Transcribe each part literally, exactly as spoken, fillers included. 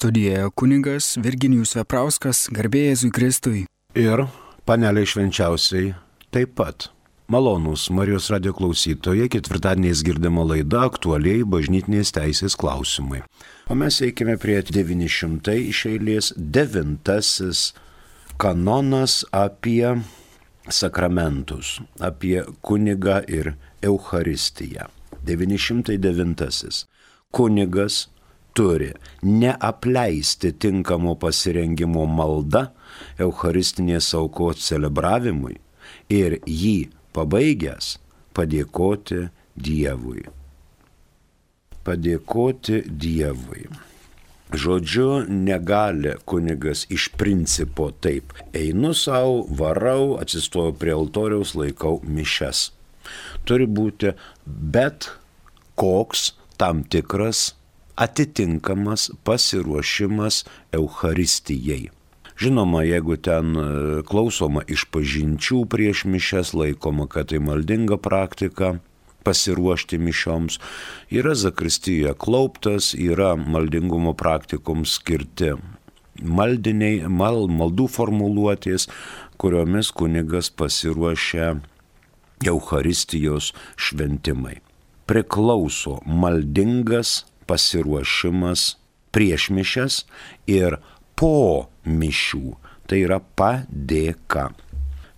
Studijoje kunigas Virginijus Veprauskas, garbė Jėzui Kristui. Ir panelė švenčiausiai taip pat. Malonūs Marijos radijo klausytojai, ketvirtadieniais girdima laida aktualiai bažnytinės teisės klausimai. O mes eikime prie devyni šimtai iš eilės devintasis kanonas apie sakramentus, apie kunigą ir Eucharistiją. devyni šimtai devintasis. Kunigas turi neapleisti tinkamo pasirengimo malda Eucharistinės aukos celebravimui ir jį pabaigęs padėkoti Dievui. Padėkoti Dievui. Žodžiu, negali kunigas iš principo taip. Einu savo, varau, atsistoju prie altoriaus, laikau mišias. Turi būti bet koks tam tikras atitinkamas pasiruošimas Eucharistijai. Žinoma, jeigu ten klausoma išpažinčių prieš mišias, laikoma, kad tai maldinga praktika, pasiruošti mišioms, yra zakristijoje klauptas, yra maldingumo praktikoms skirti maldiniai, mal, maldų formuluotės, kuriomis kunigas pasiruošia Eucharistijos šventimai. Priklauso maldingas pasiruošimas prieš mišias ir po mišių, tai yra padėka.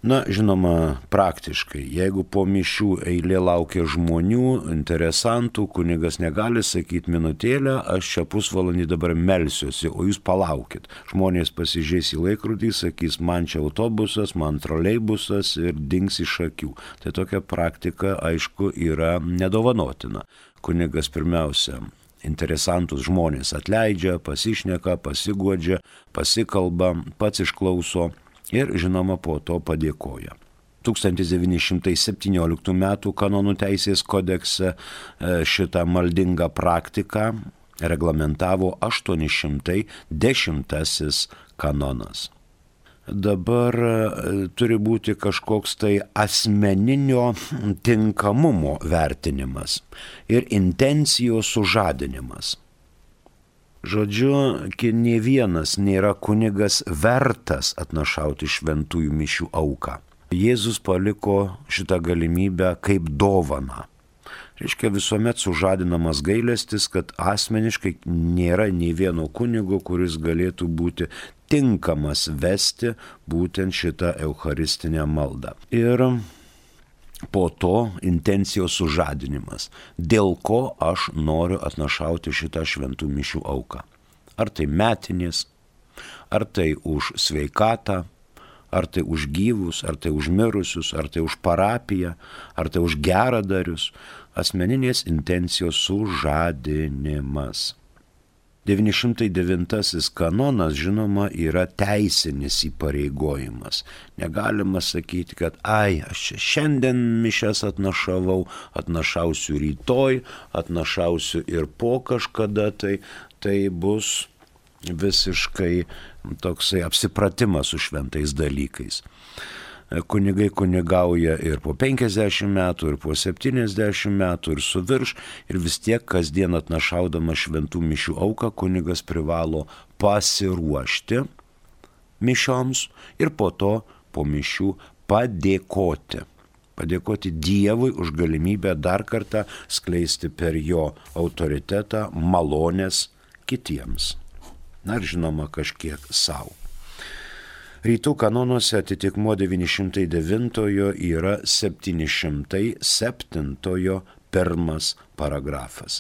Na, žinoma, praktiškai, jeigu po mišių eilė laukia žmonių, interesantų, kunigas negali sakyti minutėlę, aš čia pusvalandį dabar melsiuosi, o jūs palaukit. Žmonės pasižiūrės į laikrodį, sakys, man čia autobusas, man troleibusas ir dings iš akių. Tai tokia praktika, aišku, yra nedovanotina. Kunigas pirmiausia interesantus žmonės atleidžia, pasišneka, pasiguodžia, pasikalba, pats išklauso ir, žinoma, po to padėkoja. tūkstantis devyni šimtai septynioliktų metų kanonų teisės kodekse šitą maldingą praktiką reglamentavo aštuoni šimtai dešimtasis kanonas. Dabar turi būti kažkoks tai asmeninio tinkamumo vertinimas ir intencijos sužadinimas. Žodžiu, nė vienas nėra kunigas vertas atnašauti šventųjų mišių auką. Jėzus paliko šitą galimybę kaip dovaną. Reiškia, visuomet sužadinamas gailestis, kad asmeniškai nėra nei vieno kunigo, kuris galėtų būti tinkamas vesti būtent šitą eucharistinę maldą. Ir po to intencijos sužadinimas, dėl ko aš noriu atnašauti šitą šventų mišių auką. Ar tai metinės, ar tai už sveikatą, ar tai už gyvus, ar tai už mirusius, ar tai už parapiją, ar tai už geradarius, asmeninės intencijos sužadinimas. devyni šimtai devintasis kanonas, žinoma, yra teisinis įpareigojimas. Negalima sakyti, kad ai, aš čia šiandien mišias atnašavau, atnašausiu rytoj, atnašausiu ir po kažkada, tai, tai bus visiškai toksai apsipratimas su šventais dalykais. Kunigai kunigauja ir po penkiasdešimt metų, ir po septyniasdešimt metų, ir su virš, ir vis tiek kasdien atnašaudama šventų mišių auką kunigas privalo pasiruošti mišioms ir po to po mišių padėkoti. Padėkoti Dievui už galimybę dar kartą skleisti per jo autoritetą malonės kitiems. Na ir žinoma kažkiek savo. Rytų kanonuose atitikmuo devyni šimtai devintojo yra septyni šimtai septintojo pirmas paragrafas.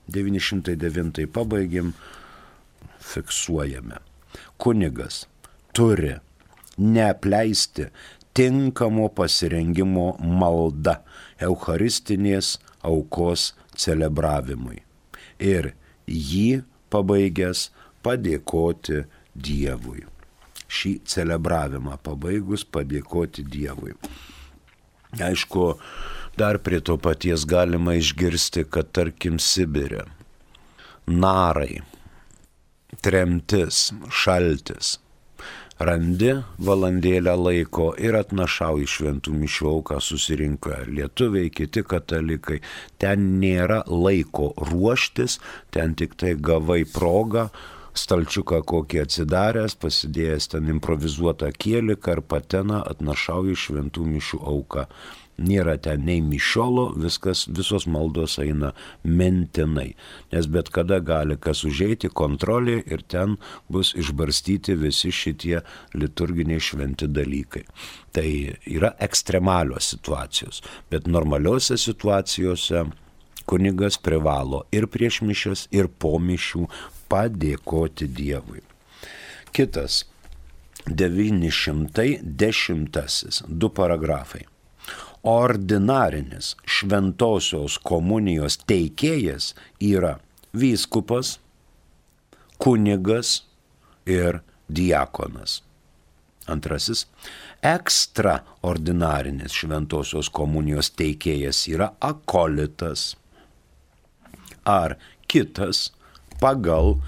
devyni šimtai devintąjį pabaigim, fiksuojame. Kunigas turi neapleisti tinkamo pasirengimo malda eucharistinės aukos celebravimui ir jį pabaigęs padėkoti Dievui. Šį celebravimą pabaigus padėkoti Dievui. Aišku, dar prie to paties galima išgirsti, kad tarkim Sibire narai, tremtis, šaltis. Randi valandėlę laiko ir atnašauji šventų mišių auką, susirinko lietuviai, kiti katalikai. Ten nėra laiko ruoštis, ten tik tai gavai progą, stalčiuką kokį atsidaręs, pasidėjęs ten improvizuotą kieliką ar pateną, atnašauja šventų mišių auką. Nėra ten nei mišiolo, viskas, visos maldos eina mintinai, nes bet kada gali kas užeiti kontrolė ir ten bus išbarstyti visi šitie liturginiai šventi dalykai. Tai yra ekstremalios situacijos, bet normaliuose situacijose kunigas privalo ir prieš mišias, ir po mišių padėkoti Dievui. Kitas, devyni šimtai dešimtasis, du paragrafai. Ordinarinis šventosios komunijos teikėjas yra vyskupas, kunigas ir diakonas. Antrasis, ekstraordinarinis šventosios komunijos teikėjas yra akolitas ar kitas pagal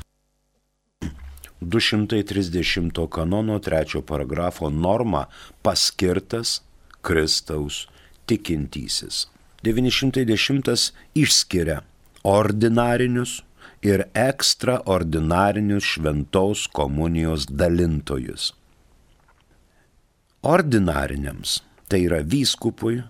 du šimtai trisdešimto kanono trečio paragrafo normą paskirtas Kristaus tikintysis. devyni šimtai dešimtas išskiria ordinarinius ir ekstraordinarinius šventos komunijos dalintojus. Ordinariniams, tai yra vyskupui,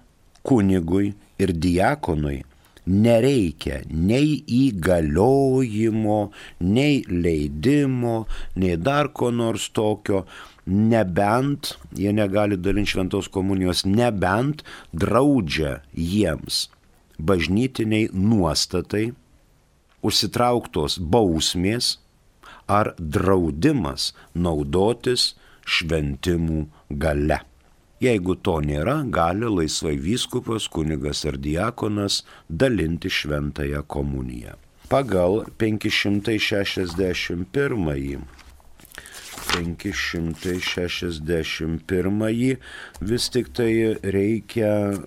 kunigui ir diakonui, nereikia nei įgaliojimo, nei leidimo, nei dar ko nors tokio, nebent, jie negali dalinti šventos komunijos, nebent draudžia jiems bažnytiniai nuostatai, užsitrauktos bausmės ar draudimas naudotis šventimų galia. Jeigu to nėra, gali laisvai vyskupas, kunigas ar diakonas dalinti šventąją komuniją. Pagal penki šimtai šešiasdešimt pirmąjį penki šimtai šešiasdešimt pirmąjį vis tik tai reikia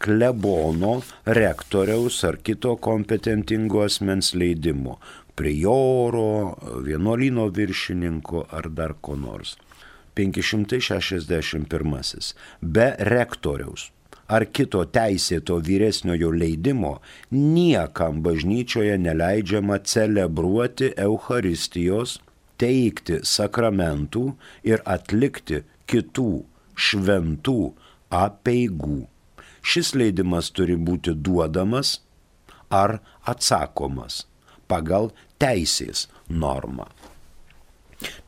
klebono, rektoriaus ar kito kompetentingo asmens leidimo, prioro, vienuolyno viršininko ar dar ko nors. penki šimtai šešiasdešimt pirmasis. Be rektoriaus ar kito teisėto vyresniojo leidimo niekam bažnyčioje neleidžiama celebruoti Eucharistijos, teikti sakramentų ir atlikti kitų šventų apeigų. Šis leidimas turi būti duodamas ar atsakomas pagal teisės normą.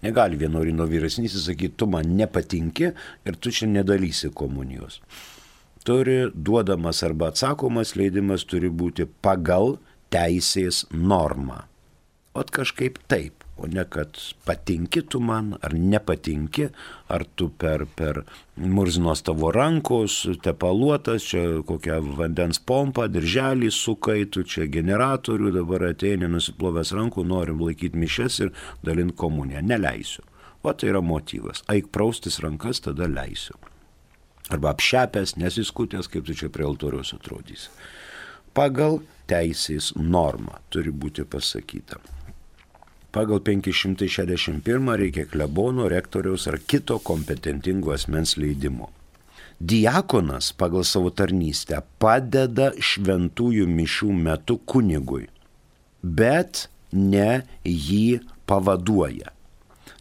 Negali vienuolyno vyresnysis sakyti, tu man nepatinki ir tu čia nedalysi komunijos. Turi duodamas arba atsakomas leidimas turi būti pagal teisės normą. O kažkaip taip, o ne kad patinki tu man ar nepatinki, ar tu per, per murzinos tavo rankos, tepaluotas, čia kokią vandens pompą, dirželį sukai, tu čia generatorių, dabar ateini nusiplovęs rankų, norim laikyti mišes ir dalinti komuniją. Neleisiu. O tai yra motyvas. Eik praustis rankas, tada leisiu. Arba apšepęs, nesiskutęs, kaip tu čia prie altoriaus atrodysi. Pagal teisės normą turi būti pasakyta. Pagal penki šimtai šešiasdešimt pirmą reikia klebono, rektoriaus ar kito kompetentingo asmens leidimo. Diakonas pagal savo tarnystę padeda šventųjų mišių metu kunigui, bet ne jį pavaduoja.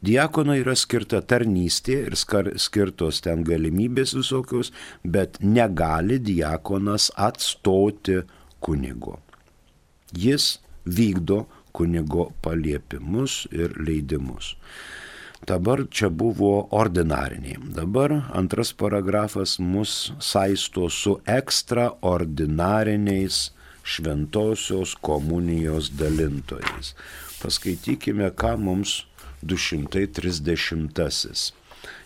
Diakonai yra skirta tarnystė ir skirtos ten galimybės visokios, bet negali diakonas atstoti kunigo. Jis vykdo kunigo paliepimus ir leidimus. Dabar čia buvo ordinariniai. Dabar antras paragrafas mus saisto su ekstraordinariniais šventosios komunijos dalintojais. Paskaitykime, ką mums du šimtai trisdešimtasis.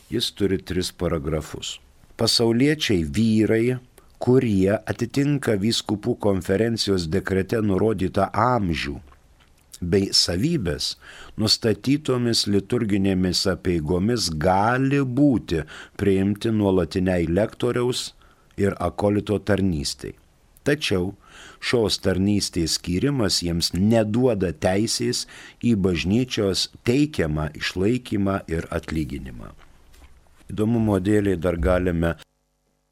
Jis turi tris paragrafus. Pasauliečiai vyrai, kurie atitinka vyskupų konferencijos dekrete nurodytą amžių bei savybės, nustatytomis liturginėmis apeigomis gali būti priimti nuolatiniai lektoriaus ir akolito tarnystei. Tačiau šios tarnystės skyrimas jiems neduoda teisės į bažnyčios teikiamą išlaikymą ir atlyginimą. Įdomumo dėliai dar galime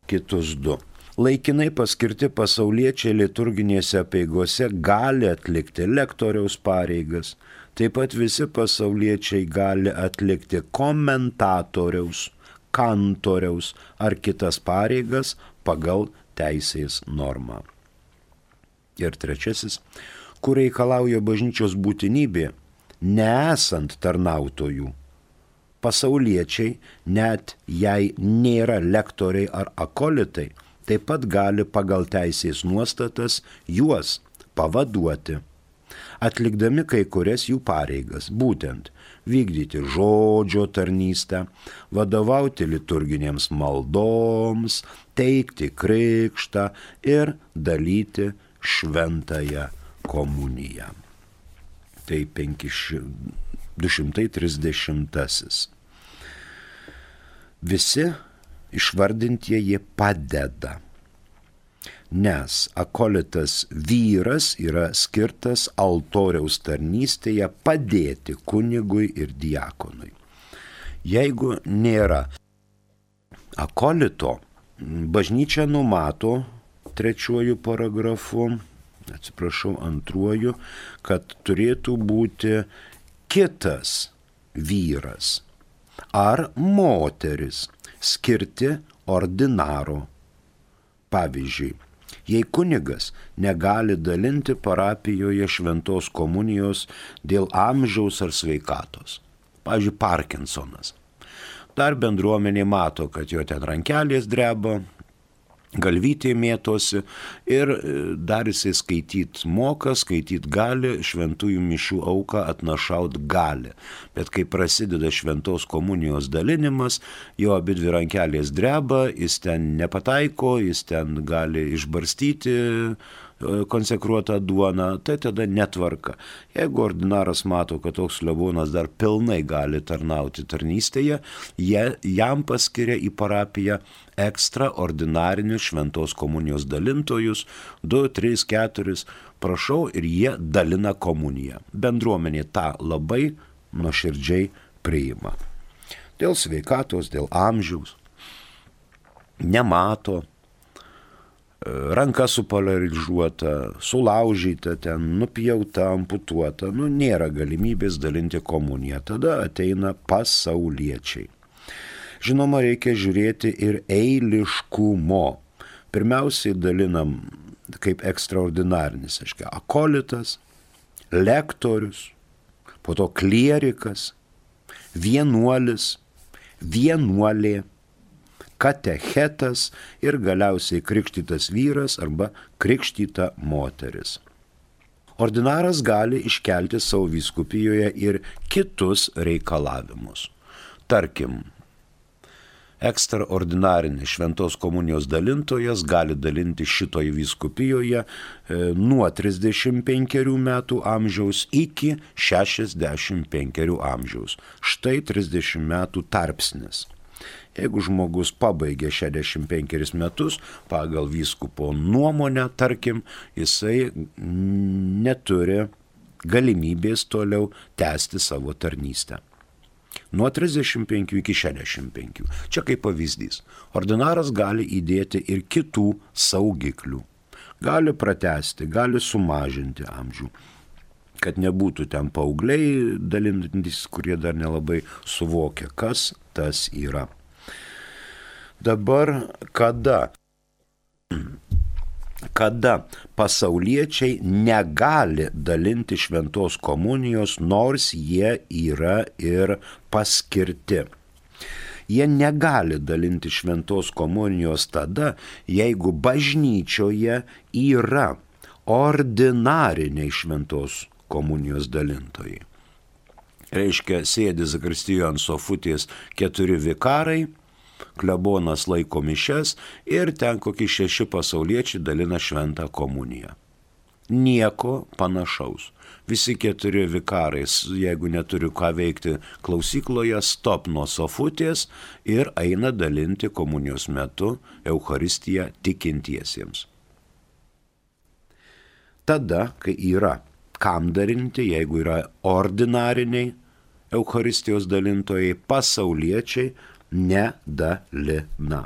kitus du. Laikinai paskirti pasauliečiai liturginėse apeigose gali atlikti lektoriaus pareigas, Taip pat visi pasauliečiai gali atlikti komentatoriaus, kantoriaus ar kitas pareigas pagal teisės normą. Ir trečiasis, kur reikalauja bažnyčios būtinybė, nesant tarnautojų. Pasauliečiai, net jei nėra lektoriai ar akolitai, taip pat gali pagal teisės nuostatas juos pavaduoti, atlikdami kai kurias jų pareigas, būtent vykdyti žodžio tarnystę, vadovauti liturginėms maldoms, teikti krikštą ir dalyti šventąją komuniją. Tai du šimtai trisdešimtasis. Visi išvardintieji padeda, nes akolitas vyras yra skirtas altoriaus tarnystėje padėti kunigui ir diakonui. Jeigu nėra akolito, bažnyčia numato trečiuoju paragrafu, atsiprašau, antruoju, kad turėtų būti kitas vyras ar moteris skirti ordinaro. Pavyzdžiui, jei kunigas negali dalinti parapijoje šventos komunijos dėl amžiaus ar sveikatos, pavyzdžiui, Parkinsonas, dar bendruomenė mato, kad jo ten rankelės dreba, galvytė mėtosi ir dar jisai skaityt moka, skaityt gali, šventųjų mišių auką atnašaut gali. Bet kai prasideda šventos komunijos dalinimas, jo abidvi rankelės dreba, jis ten nepataiko, jis ten gali išbarstyti konsekruotą duoną, tai tada netvarka. Jeigu ordinaras mato, kad toks klebonas dar pilnai gali tarnauti tarnystėje, jie, jam paskiria į parapiją ekstraordinarinius šventos komunijos dalintojus, du, tris, keturis, prašau, ir jie dalina komuniją. Bendruomenė tą labai nuoširdžiai priima. Dėl sveikatos, dėl amžiaus, nemato, ranka supolarizuota, sulaužyta, ten nupjauta, amputuota, nu nėra galimybės dalinti komuniją. Tada ateina pasauliečiai. Žinoma, reikia žiūrėti ir eiliškumo. Pirmiausiai dalinam kaip ekstraordinarinis, aiškiai, akolitas, lektorius, po to klierikas, vienuolis, vienuolė, katechetas ir galiausiai krikštytas vyras arba krikštyta moteris. Ordinaras gali iškelti savo vyskupijoje ir kitus reikalavimus. Tarkim, ekstraordinarinis šventos komunijos dalintojas gali dalinti šitoje vyskupijoje nuo trisdešimt penkerių metų amžiaus iki šešiasdešimt penkerių amžiaus. Štai trisdešimt metų tarpsnis. Jeigu žmogus pabaigė šešiasdešimt penkerius metus, pagal vyskupo nuomonę, tarkim, jisai neturi galimybės toliau tęsti savo tarnystę. Nuo trisdešimt penkių iki šešiasdešimt penkių. Čia kaip pavyzdys. Ordinaras gali įdėti ir kitų saugiklių. Gali pratęsti, gali sumažinti amžių. Kad nebūtų ten paaugliai dalinantys, kurie dar nelabai suvokia, kas tas yra. Dabar kada, kada pasauliečiai negali dalinti šventos komunijos, nors jie yra ir paskirti. Jie negali dalinti šventos komunijos tada, jeigu bažnyčioje yra ordinariniai šventos komunijos dalintojai. Reiškia, sėdi zakristijoje ant sofutės keturi vikarai, klebonas laiko mišias ir ten kokie šeši pasauliečiai dalina šventą komuniją. Nieko panašaus. Visi keturi vikarai, jeigu neturi ką veikti klausykloje, stop nuo sofutės ir eina dalinti komunijos metu Eucharistiją tikintiesiems. Tada, kai yra kam dalinti, jeigu yra ordinariniai Eucharistijos dalintojai, pasauliečiai nedalina.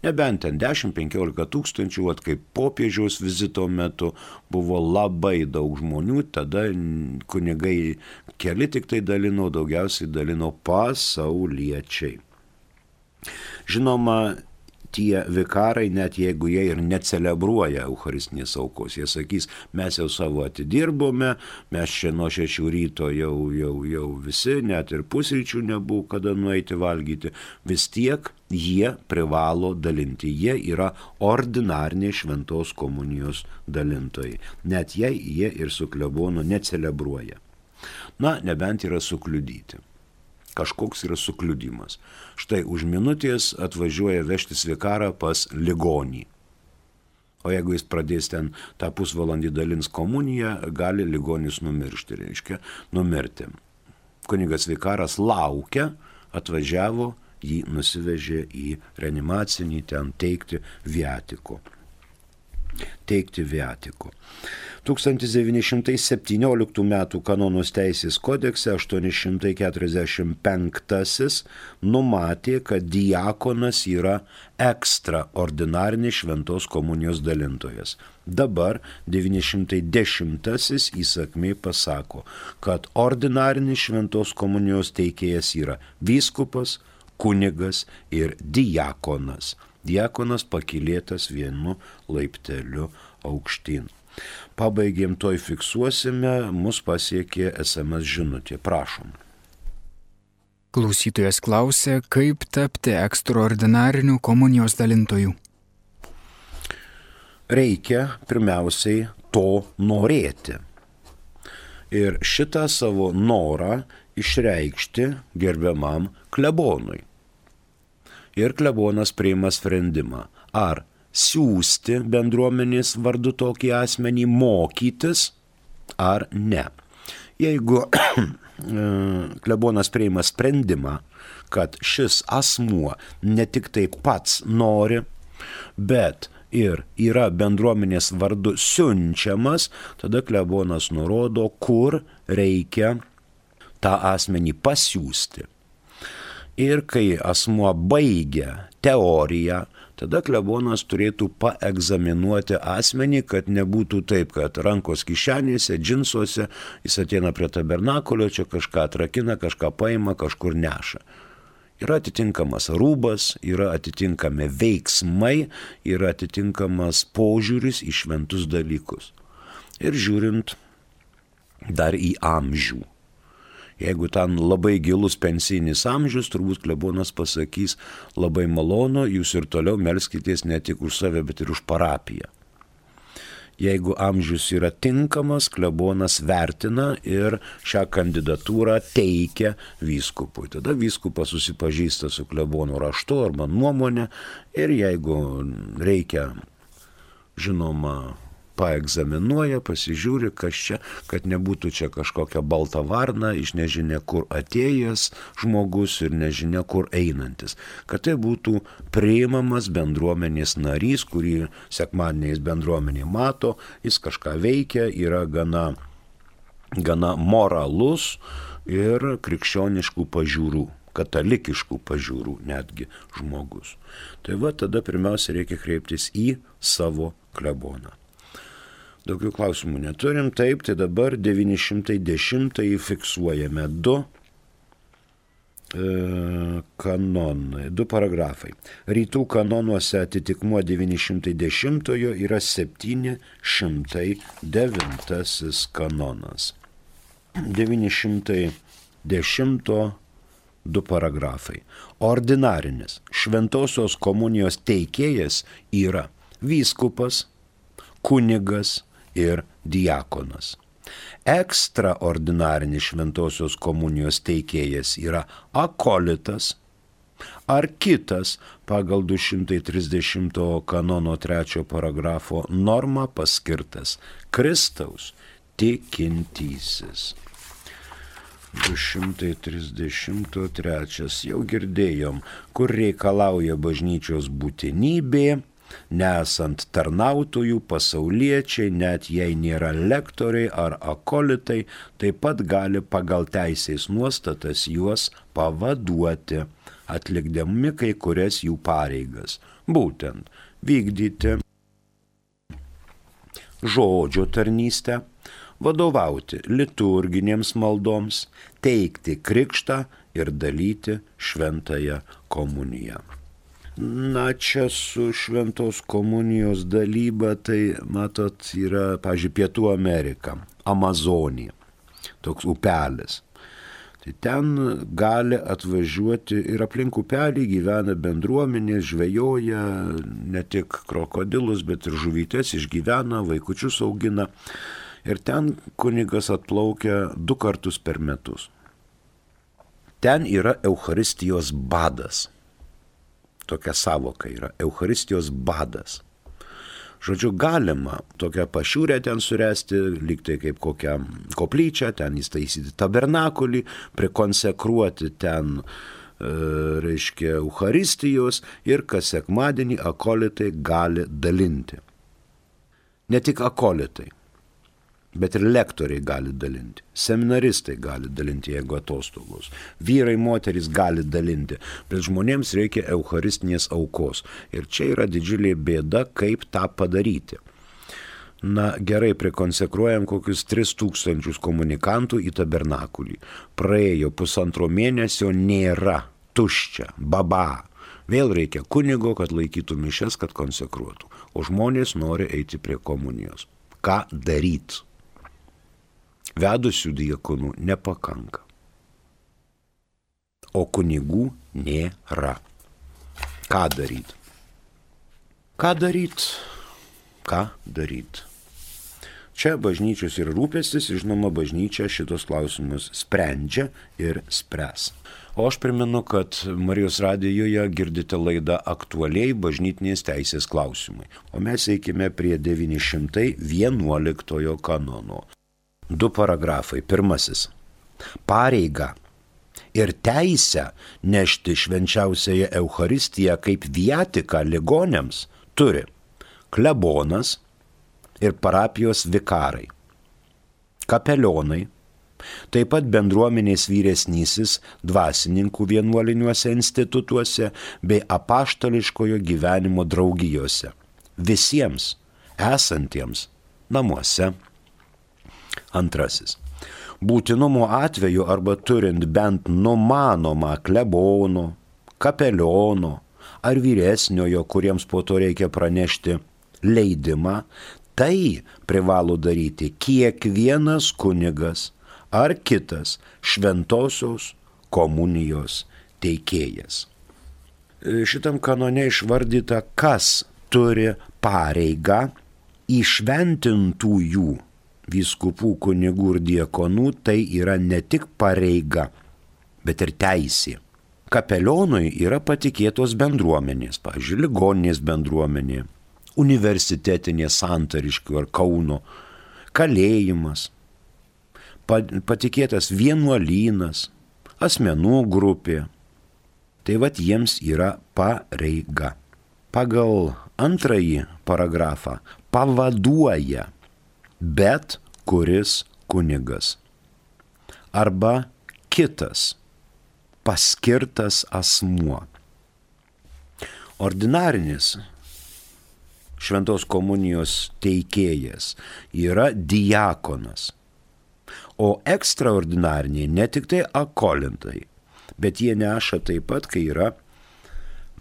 Nebent ten dešimt penkiolika tūkstančių, at kaip popiežiaus vizito metu buvo labai daug žmonių, tada kunigai keli tik tai dalino, daugiausiai dalino pasauliečiai. Žinoma, tie vikarai, net jeigu jie ir necelebruoja Eucharistinės aukos, jie sakys, mes jau savo atidirbome, mes čia nuo šešių ryto jau, jau, jau visi, net ir pusryčių nebuvo kada nueiti valgyti, vis tiek jie privalo dalinti, jie yra ordinariniai šventos komunijos dalintojai, net jei jie ir su klebonu necelebruoja. Na, nebent yra sukliudyti. Kažkoks yra sukliudimas. Štai už minutės atvažiuoja vežtis vikarą pas ligonį. O jeigu jis pradės ten tą pusvalandį dalins komuniją, gali ligonis numiršti, reiškia, numirti. Kunigas vikaras laukia, atvažiavo, jį nusivežė į reanimacinį ten teikti viatiko. Teikti viatiko. tūkstantis devyni šimtai septynioliktų metų Kanonos teisės kodekse aštuoni šimtai keturiasdešimt penktasis numatė, kad diakonas yra ekstraordinarinis šventos komunijos dalintojas. Dabar devyni šimtai dešimtasis įsakmiai pasako, kad ordinarinis šventos komunijos teikėjas yra vyskupas, kunigas ir diakonas. Diakonas pakilėtas vienu laipteliu aukštyn. Pabaigėm, toj fiksuosime, mus pasiekė es em es žinutė. Prašom. Klausytojas klausė, kaip tapti ekstraordinariniu komunijos dalintoju. Reikia pirmiausiai to norėti. Ir šitą savo norą išreikšti gerbiamam klebonui. Ir klebonas priima sprendimą, ar siųsti bendruomenės vardu tokį asmenį mokytis ar ne. Jeigu klebonas priima sprendimą, kad šis asmuo ne tik tai pats nori, bet ir yra bendruomenės vardu siunčiamas, tada klebonas nurodo, kur reikia tą asmenį pasiųsti. Ir kai asmuo baigia teoriją, tada klebonas turėtų paegzaminuoti asmenį, kad nebūtų taip, kad rankos kišenėse, džinsuose, jis ateina prie tabernakulio, čia kažką atrakina, kažką paima, kažkur neša. Yra atitinkamas rūbas, yra atitinkami veiksmai, yra atitinkamas požiūris į šventus dalykus. Ir žiūrint dar į amžių. Jeigu ten labai gilus pensijinis amžius, turbūt klebonas pasakys, labai malonu, jūs ir toliau melskitės ne tik už save, bet ir už parapiją. Jeigu amžius yra tinkamas, klebonas vertina ir šią kandidatūrą teikia vyskupui. Tada vyskupas susipažįsta su klebono raštu arba nuomonė ir jeigu reikia, žinoma, paegzaminuoja, pasižiūri, kas čia, kad nebūtų čia kažkokia balta varna, iš nežinia kur atėjęs žmogus ir nežinia kur einantis. Kad tai būtų priimamas bendruomenės narys, kurį sekmadieniais bendruomenė mato, jis kažką veikia, yra gana, gana moralus ir krikščioniškų pažiūrų, katalikiškų pažiūrų netgi žmogus. Tai va, tada pirmiausia reikia kreiptis į savo kleboną. Daugiau klausimų neturim, taip, tai dabar devyni šimtai dešimtąjį fiksuojame du e, kanonai, du paragrafai. Rytų kanonuose atitikmuo devyni šimtai dešimtojo yra septyni šimtai devintasis kanonas. devyni šimtai dešimto du paragrafai. Ordinarinis šventosios komunijos teikėjas yra vyskupas, kunigas ir diakonas. Ekstraordinarinis šventosios komunijos teikėjas yra akolitas ar kitas pagal du šimtai trisdešimto kanono trečio paragrafo normą paskirtas Kristaus tikintysis. du šimtai trisdešimt trečias jau girdėjom, kur reikalauja bažnyčios būtinybė, nesant tarnautojų, pasauliečiai, net jei nėra lektoriai ar akolitai, taip pat gali pagal teisės nuostatas juos pavaduoti, atlikdami kai kurias jų pareigas, būtent vykdyti žodžio tarnystę, vadovauti liturginėms maldoms, teikti krikštą ir dalyti šventąją komuniją. Na, čia su šventos komunijos dalyba, tai, matot, yra, pavyzdžiui, Pietų Amerika, Amazonija, toks upelis. Tai ten gali atvažiuoti ir aplink upelį gyvena bendruomenės, žvejoja ne tik krokodilus, bet ir žuvytes išgyvena, vaikučius augina. Ir ten kunigas atplaukia du kartus per metus. Ten yra Eucharistijos badas. Tokia savoka yra Eucharistijos badas. Žodžiu, galima tokią pašiūrę ten suresti, lyg tai kaip kokią koplyčią, ten įstaisyti tabernakulį, prikonsekruoti ten, e, reiškia, Eucharistijos ir kas sekmadienį akolitai gali dalinti. Ne tik akolitai, bet ir lektoriai gali dalinti, seminaristai gali dalinti, jeigu atostogos, vyrai, moterys gali dalinti, bet žmonėms reikia eucharistinės aukos. Ir čia yra didžiulė bėda, kaip tą padaryti. Na gerai, prikonsekruojam kokius tris tūkstančius komunikantų į tabernakulį. Praėjo pusantro mėnesio, nėra, tuščia, baba. Vėl reikia kunigo, kad laikytų mišias, kad konsekruotų. O žmonės nori eiti prie komunijos. Ką daryti? Vedusių diakonų nepakanka, o kunigų nėra. Ką daryti? Ką daryti? Ką daryti? Čia bažnyčios ir rūpestis, žinoma, bažnyčia šitos klausimus sprendžia ir spręs. O aš primenu, kad Marijos radijoje girdite laidą Aktualiai bažnytinės teisės klausimai. O mes eikime prie devyni šimtai vienuoliktojo kanono. Du paragrafai. Pirmasis. Pareiga ir teisę nešti švenčiausiąją Eucharistiją kaip viatiką ligoniams turi klebonas ir parapijos vikarai, kapelionai, taip pat bendruomenės vyresnysis dvasininkų vienuoliniuose institutuose bei apaštališkojo gyvenimo draugijose, visiems esantiems namuose. Antrasis. Būtinumo atveju arba turint bent numanomą klebono, kapeliono ar vyresniojo, kuriems po to reikia pranešti leidimą, tai privalo daryti kiekvienas kunigas ar kitas šventosios komunijos teikėjas. Šitam kanone išvardyta, kas turi pareigą įšventintųjų vyskupų, kunigų ir diakonų, tai yra ne tik pareiga, bet ir teisė. Kapelionui yra patikėtos bendruomenės, pavyzdžiui, ligoninės bendruomenė, universitetinė Santariškių ar Kauno, kalėjimas, patikėtas vienuolynas, asmenų grupė. Tai vat jiems yra pareiga. Pagal antrąjį paragrafą pavaduoja bet kuris kunigas arba kitas paskirtas asmuo. Ordinarinis šventos komunijos teikėjas yra diakonas, o ekstraordinariniai ne tik tai akolintai, bet jie neša taip pat, kai yra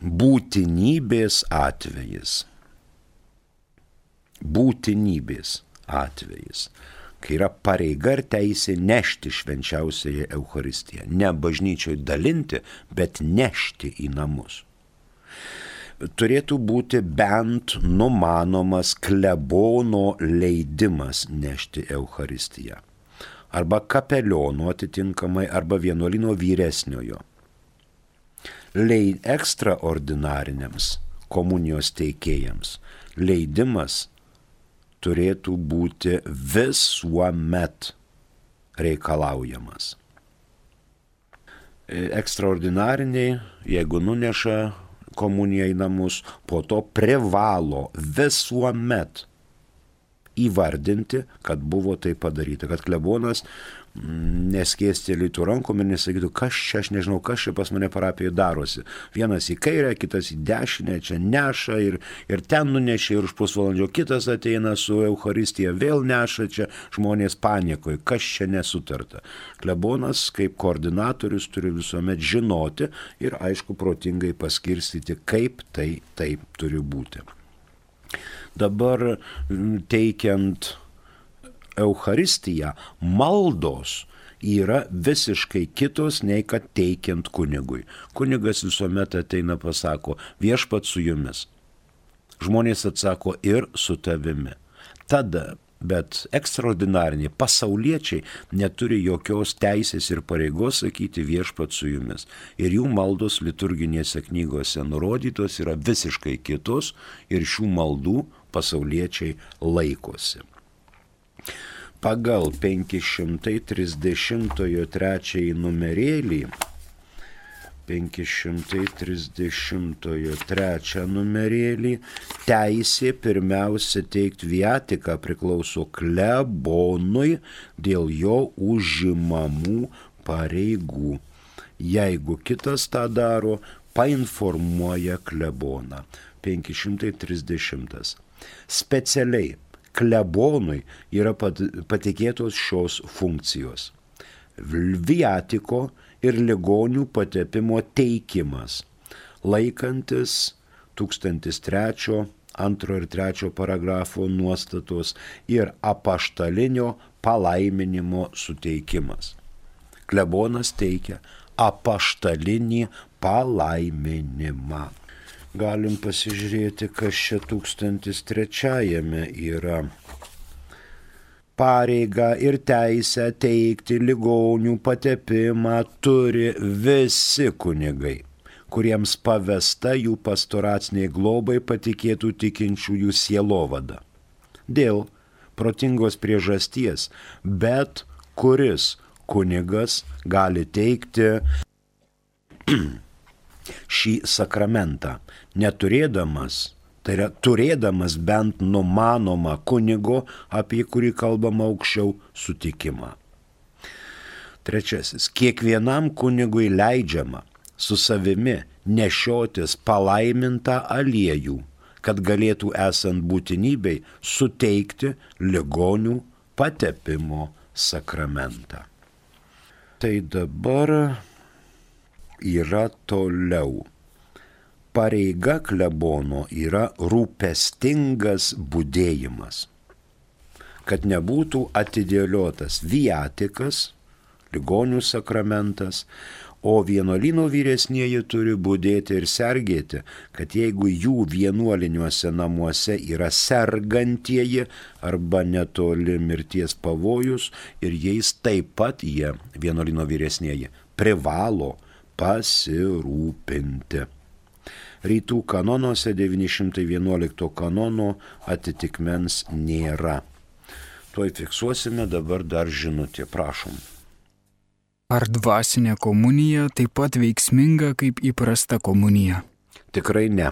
būtinybės atvejis. Būtinybės atvejis, kai yra pareiga ir teisė nešti švenčiausiąją Eucharistiją. Ne bažnyčioj dalinti, bet nešti į namus. Turėtų būti bent numanomas klebono leidimas nešti Eucharistiją. Arba kapeliono atitinkamai, arba vienuolino vyresniojo. Leid ekstraordinariniams komunijos teikėjams leidimas turėtų būti visuomet reikalaujamas. Ekstraordinariniai, jeigu nuneša komuniją į namus, po to privalo visuomet įvardinti, kad buvo tai padaryta, kad klebonas neskėstelėtų rankom ir nesakytų, kas čia, aš nežinau, kas čia pas mane parapijoje darosi. Vienas į kairę, kitas į dešinę, čia neša ir, ir ten nunešė ir už pusvalandžio kitas ateina su Eucharistija, vėl neša, čia žmonės panikoje, kas čia nesutarta. Klebonas kaip koordinatorius turi visuomet žinoti ir aišku protingai paskirstyti, kaip tai taip turi būti. Dabar teikiant Eucharistiją, maldos yra visiškai kitos nei kad teikiant kunigui. Kunigas visuomet ateina pasako, viešpat su jumis. Žmonės atsako ir su tavimi. Tada, bet ekstraordinariniai pasauliečiai neturi jokios teisės ir pareigos sakyti viešpat su jumis. Ir jų maldos liturginėse knygose nurodytos yra visiškai kitos ir šių maldų pasauliečiai laikosi. Pagal penki šimtai trisdešimt trečią numerėlį, penki šimtai trisdešimt trečią numerėlį, teisė pirmiausia teikti viatiką priklauso klebonui dėl jo užimamų pareigų. Jeigu kitas tą daro, painformuoja kleboną. penki šimtai trisdešimt. Specialiai klebonui yra patikėtos šios funkcijos. Viatiko ir ligonių patepimo teikimas, laikantis tūkstantis trečio, antro ir trečio paragrafo nuostatos ir apaštalinio palaiminimo suteikimas. Klebonas teikia apaštalinį palaiminimą. Galim pasižiūrėti, kas čia tūkstantis trečiajame yra. Pareigą ir teisę teikti ligonių patepimą turi visi kunigai, kuriems pavesta jų pastoraciniai globai patikėtų tikinčiųjų sielovada. Dėl protingos priežasties, bet kuris kunigas gali teikti šį sakramentą, neturėdamas, tai yra turėdamas bent numanomą kunigo, apie kurį kalbama aukščiau, sutikimą. Trečiasis. Kiekvienam kunigui leidžiama su savimi nešiotis palaimintą aliejų, kad galėtų esant būtinybei suteikti ligonių patepimo sakramentą. Tai dabar yra toliau. Pareiga klebono yra rūpestingas budėjimas, kad nebūtų atidėliotas viatikas, ligonių sakramentas, o vienuolyno vyresnieji turi budėti ir sergėti, kad jeigu jų vienuoliniuose namuose yra sergantieji arba netoli mirties pavojus ir jais taip pat jie, vienuolyno vyresnieji, privalo pasirūpinti. Rytų kanonuose devyni šimtai vienuolikto kanono atitikmens nėra. Tuoj fiksuosime, dabar dar žinutė, prašom. Ar dvasinė komunija taip pat veiksminga kaip įprasta komunija? Tikrai ne.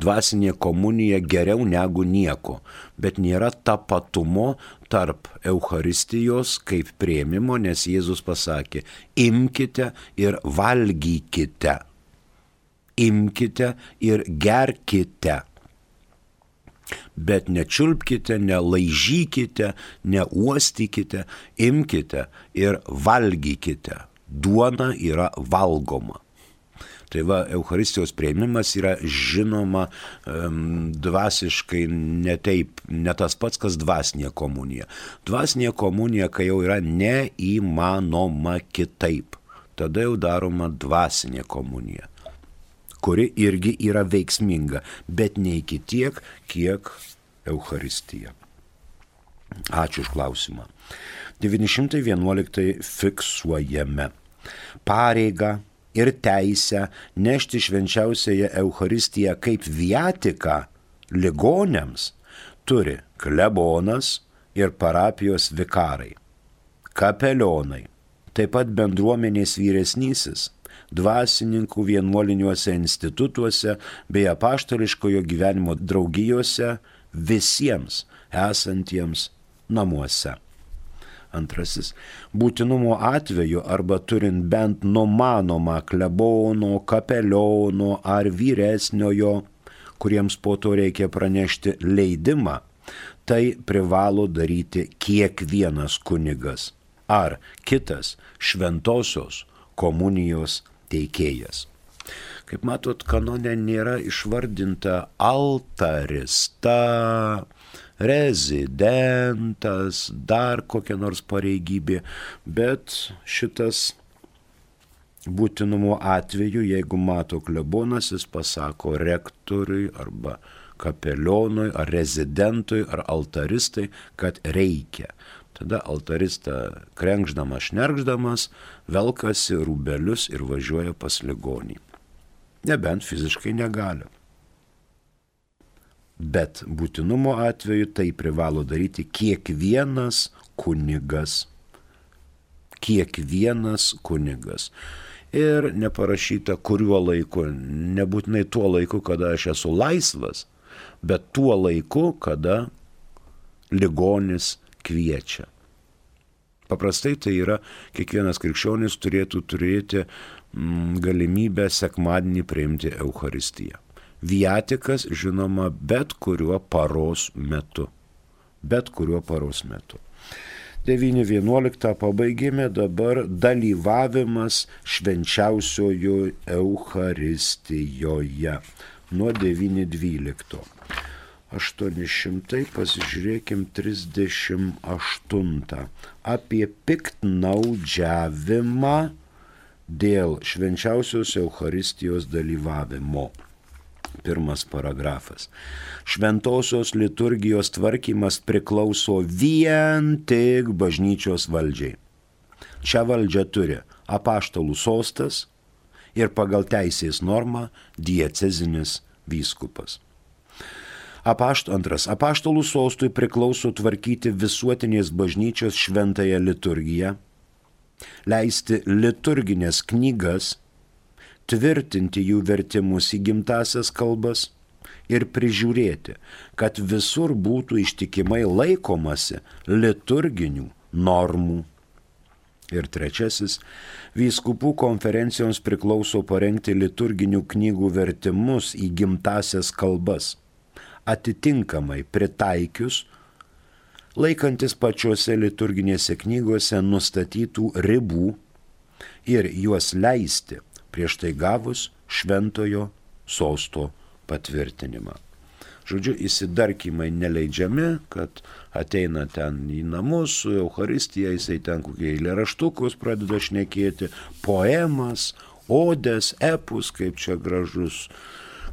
Dvasinė komunija geriau negu nieko, bet nėra tapatumo tarp Eucharistijos kaip priėmimo, nes Jėzus pasakė, imkite ir valgykite. Imkite ir gerkite. Bet nečiulpkite, nelaižykite, neuostykite, imkite ir valgykite. Duona yra valgoma. Tai va, Eucharistijos priėmimas yra žinoma um, dvasiškai ne taip, ne tas pats, kas dvasinė komunija. Dvasinė komunija, kai jau yra neįmanoma kitaip, tada jau daroma dvasinė komunija, kuri irgi yra veiksminga, bet ne iki tiek, kiek Eucharistija. Ačiū už klausimą. devyni šimtai vienuoliktą fiksuojame. Pareigą ir teisę nešti švenčiausiąją Eucharistiją kaip viatiką ligoniams turi klebonas ir parapijos vikarai, kapelionai, taip pat bendruomenės vyresnysis, dvasininkų vienuoliniuose institutuose bei apaštališkojo gyvenimo draugijose visiems esantiems namuose. Antrasis, būtinumo atveju arba turint bent numanomą klebono, kapeliono ar vyresniojo, kuriems po to reikia pranešti leidimą, tai privalo daryti kiekvienas kunigas ar kitas šventosios komunijos teikėjas. Kaip matot, kanone nėra išvardinta altarista, rezidentas, dar kokia nors pareigybė, bet šitas būtinumo atveju, jeigu mato klebonas, jis pasako rektoriui arba kapelionui ar rezidentui ar altaristai, kad reikia. Tada altarista krenkšdamas, šnerkšdamas, velkasi rūbelius ir važiuoja pas ligonį. Nebent fiziškai negali. Bet būtinumo atveju tai privalo daryti kiekvienas kunigas. Kiekvienas kunigas. Ir neparašyta kuriuo laiku, nebūtinai tuo laiku, kada aš esu laisvas, bet tuo laiku, kada ligonis kviečia. Paprastai tai yra, kiekvienas krikščionis turėtų turėti mm, galimybę sekmadienį priimti Eucharistiją. Viatikas, žinoma, bet kuriuo paros metu. Bet kuriuo paros metu. devyni vienuoliktą pabaigėme, dabar dalyvavimas švenčiausiojo Eucharistijoje. Nuo devyni dvylikto. aštuoni šimtai, pasižiūrėkim, trisdešimt aštuntą. Apie piktnaudžiavimą dėl švenčiausios Eucharistijos dalyvavimo. Pirmas paragrafas. Šventosios liturgijos tvarkymas priklauso vien tik bažnyčios valdžiai. Šią valdžią turi apaštalų sostas ir pagal teisės normą diecezinis vyskupas. Apašt, antras. Apaštalų sostui priklauso tvarkyti visuotinės bažnyčios šventąją liturgiją, leisti liturginės knygas, tvirtinti jų vertimus į gimtasias kalbas ir prižiūrėti, kad visur būtų ištikimai laikomasi liturginių normų. Ir trečiasis, vyskupų konferencijoms priklauso parengti liturginių knygų vertimus į gimtasias kalbas, atitinkamai pritaikius, laikantis pačiose liturginėse knygose nustatytų ribų ir juos leisti prieš tai gavus šventojo sosto patvirtinimą. Žodžiu, įsidarkymai neleidžiami, kad ateina ten į namus su Eucharistija, jisai ten kokie eilėraštukus pradeda šnekėti, poemas, odes, epus, kaip čia gražus,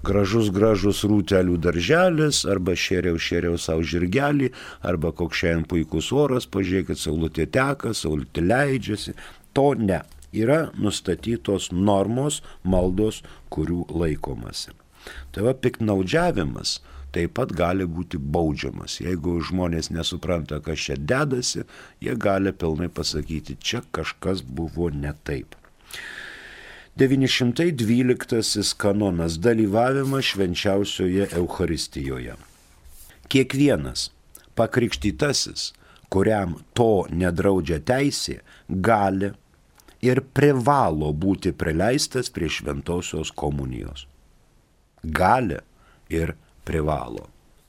gražus, gražus rūtelių darželis, arba šėriau, šėriau savo žirgelį, arba koks šiandien puikus oras, pažiūrėkit, saulutė teka, saulutė leidžiasi. To ne. Yra nustatytos normos, maldos, kurių laikomasi. Tai va, piktnaudžiavimas taip pat gali būti baudžiamas. Jeigu žmonės nesupranta, kas čia dedasi, jie gali pilnai pasakyti, čia kažkas buvo ne taip. devyni šimtai dvyliktasis kanonas – dalyvavimas švenčiausioje Eucharistijoje. Kiekvienas pakrikštytasis, kuriam to nedraudžia teisė, gali ir privalo būti prileistas prie šventosios komunijos. Gali ir privalo.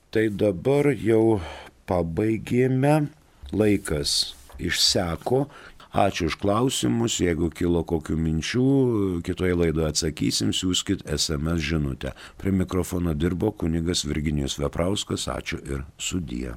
Tai dabar jau pabaigėme, laikas išseko. Ačiū už klausimus, jeigu kilo kokių minčių, kitoje laidoje atsakysim, siųskit es em es žinutę. Prie mikrofono dirbo kunigas Virginijus Veprauskas, ačiū ir sudie.